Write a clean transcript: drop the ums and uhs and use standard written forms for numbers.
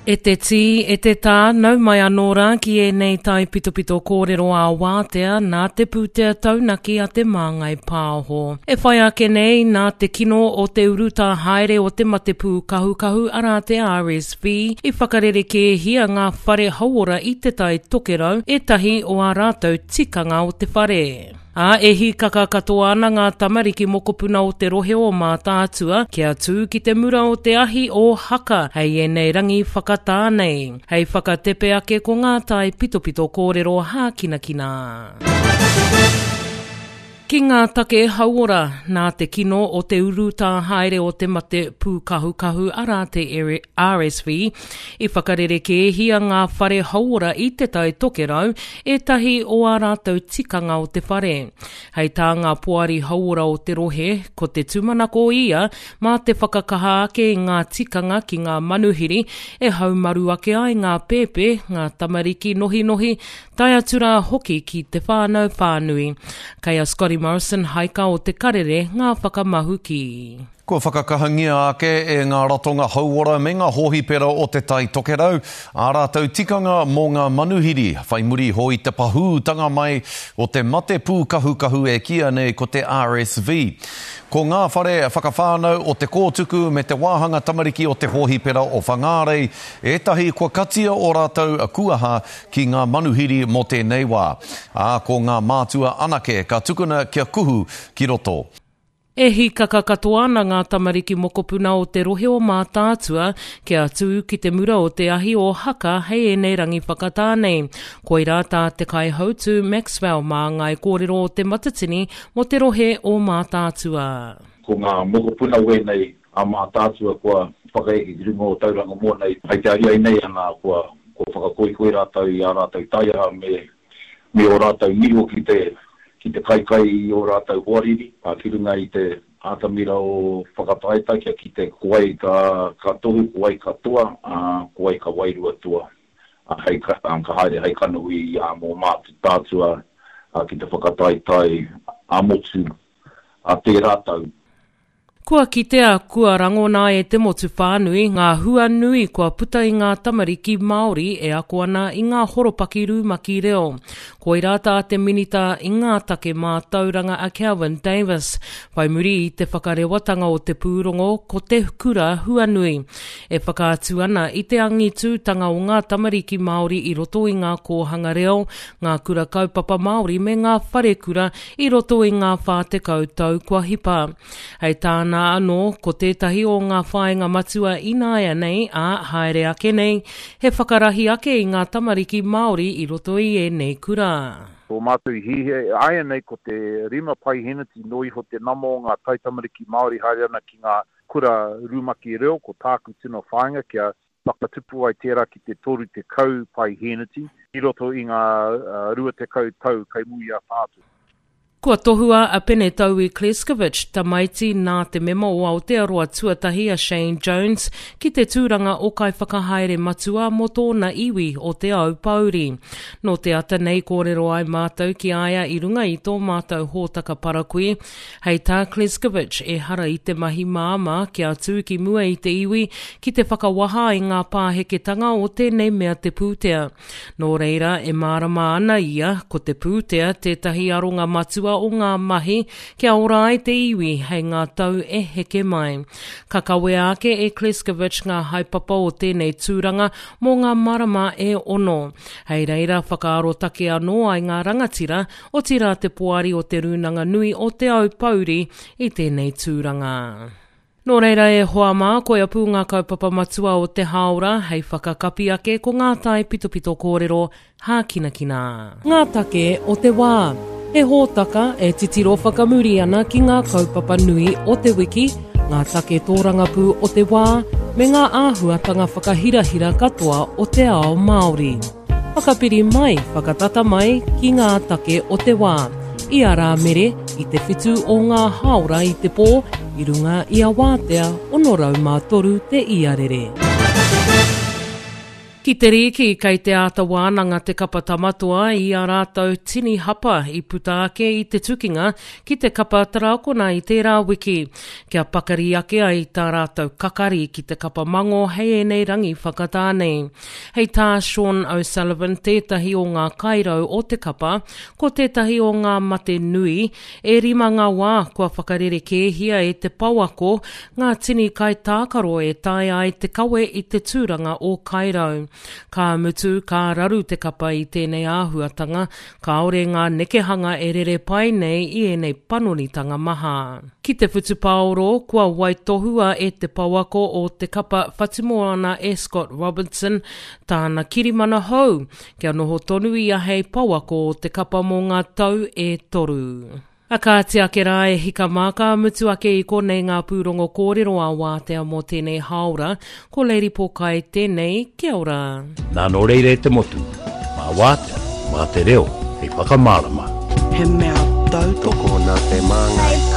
E te tī, e te tā, nau mai anō rā ki ēnei taipitopito kōrero ā-wātea nā te pūtea taunaki a Te Māngai Pāho. E whai ake nei, nā te kino o te urutā haere o te mate pūkahukahu arā te RSV, i whakarerekēhia ngā whare hauora i Te Tai Tokerau ētahi o ā rātou tikanga o te whare. Ā, e hīkaka katoa ana ngā tamariki mokopuna o te rohe o Mātaatua kia tū ki te mura o te ahi o Haka hei ēnei rangi whakatā nei. Hei whakatepe ake ko ngā taipitopito kōrero hākinakina. Ki ngā take hauora, nā te kino o te urutā haere o te mate pūkahukahu arā te RSV, i whakarerekēhia ngā whare hauora i Te Tai Tokerau ētahi o ā rātou tikanga o te whare. Hei tā ngā poari hauora o te rohe, ko te tūmanako ia mā te whakakaha ake i ngā tikanga ki ngā manuhiri e haumaru ake ai ngā pēpē, ngā tamariki nohinohi, tae atu rā hoki ki te whānau whānui. Kei a Scotty Morrison Haika o Te Karere ngā whakamahuki. Kua whakakahangia ake e ngā ratonga hauora me ngā hōhipera o Te Tai Tokerau ā rātou tikanga mō ngā manuhiri whai muri iho i te pahūtanga mai o te mate pūkahukahu e kīia nei ko te RSV. Ko ngā whare whakawhānau o Te Kōtuku me te wāhanga tamariki o te hōhipera o Whangārei ētahi kua katia ō rātou kuaha ki ngā manuhiri mō tēnei wā, ā, ko ngā mātua anake ka tukuna kia kuhu ki roto. E hīkaka katoa ana ngā tamariki mokopuna o te rohe o Mātaatua kia tū ki te mura o te ahi o Haka hei ēnei rangi whakatā nei. Koirā tā te kaihautū Maxwell māngai kōrero o Te Matatini mō te rohe o Mātaatua. Ko ngā mokopuna wēnei a Mātaatua kua whakaeke ki runga o Tauranga Moana i te ariai nei ana kua whakakoikoi rātou i ā rātou taiaha me me ō rātou niho ki te, ki te kaikai i ō rātou hoariri, ā, ki runga i te atamira o Whakataetae kia kite ko wai ka, ka tohu, ko wai ka toa, ā, ko wai ka wairua toa, ā, hei, ā, ka haere hei kanohi, ā, mō Mātaatua, ā, ki te whakataetae ā-motu, ā tērā tau. Kua kitea, kua rangona e te motu whānui ngā hua nui kua puta i ngā tamariki Māori e ako ana i ngā horopaki rumaki reo. Koirā tā te Minita i ngā Take Mātauranga a Kelvin Davis, whai muri i te whakarewatanga o te pūrongo ko Te Kura Huanui, e whakaatu ana i te angitūtanga o ngā tamariki Māori i roto i ngā kōhanga reo, ngā kura kaupapa Māori me ngā wharekura i roto i ngā 40 tau kua hipa. Hei tāna anō, ko tētahi o ngā whāinga matua ināianei, ā, haere ake nei, he whakarahi ake i ngā tamariki Māori i roto i ēnei kura. Tō mātou i hihia āianei ko te rima paiheneti noa iho te nama o ngā taitamariki Māori haere ana ki ngā kura rumaki reo, ko tāku tino whāinga kia Whakatupu ai tērā ki te 30 paihēneti i roto i ngā 20 tau kei muri i a tātou. Kua tohua a Pene Taui Kleskovic, tamaiti nā te mema o Aotearoa tuatahi a Shane Jones, ki te tūranga o Kaiwhakahaere Matua mō tōna iwi o Te Aupōuri. Nō te ata nei kōrero ai mātou ki a ia i runga i tō mātou hōtaka parakui, Hei tā Kleskovic, ehara i te mahi māmā kia tū ki mua i te iwi ki te whakawaha i ngā pāheketanga o tēnei mea te pūtea. Nō reira, e mārama ana ia, ko te pūtea tētahi aronga matua o ngā mahi kia ora ai te iwi hei ngā tau e heke mai. Ka kawea ake e Kleskovic ngā haepapa o tēnei tūranga mō ngā marama e ono. Hei reira whakaarotake anō ai ngā rangatira Otirā te poari o Te Rūnanga Nui o Te Aupōuri i tēnei tūranga. Nō reira e hoa mā, koia pū ngā kaupapa matua o te hāora hei whakakapi ake ko ngā taipitopito kōrero hākinakina. Ngā take o te wā. He hōtaka e titiro whakamuri ana ki ngā kaupapa nui o te wiki, ngā take tōrangapū o te wā, me ngā āhuatanga whakahirahira katoa o te ao Māori. Whakapiri mai, whakatata mai ki ngā take o te wā. I a Rāmere, i te whitu o ngā hāora i te pō, i runga i a Wātea 603 te iarere. Ki te rīki, kei te āta wānanga te kapa Tamatoa i ā rātou tini hapa i puta ake i te tukinga ki te kapa Tarakona i tērā wiki, kia pakari ake ai tā rātou kakari ki te kapa Mango hei ēnei rangi whakatā nei. Hei tā Sean O'Sullivan tētahi o ngā kairau o te kapa, ko tētahi o ngā mate nui, E rima ngā wā kua whakarerekēhia e te pouako ngā tini kaitākaro e taea ai te kawe i te tūranga o Kairau. Ka mutu, ka raru te kapa i tēnei āhuatanga, kāore ngā nekehanga e rere pai nei i ēnei panonitanga maha. Ki te whutupaoro, kua waitohua e te pouako o te kapa Whatumoana e Scott Robertson tāna kirimana hou, Kia noho tonu ia hei pouako o te kapa mō ngā tau e toru. A kāti ake rā e hika mā, ka mutu ake i konei ngā pūrongo kōrero a Wātea mō tēnei hāora. Ko Lady Pōkai tēnei, kia ora. Nā nō reira e te motu, mā Wātea, mā te reo hei whakamārama. He mea tautoko. Tokona te māngai.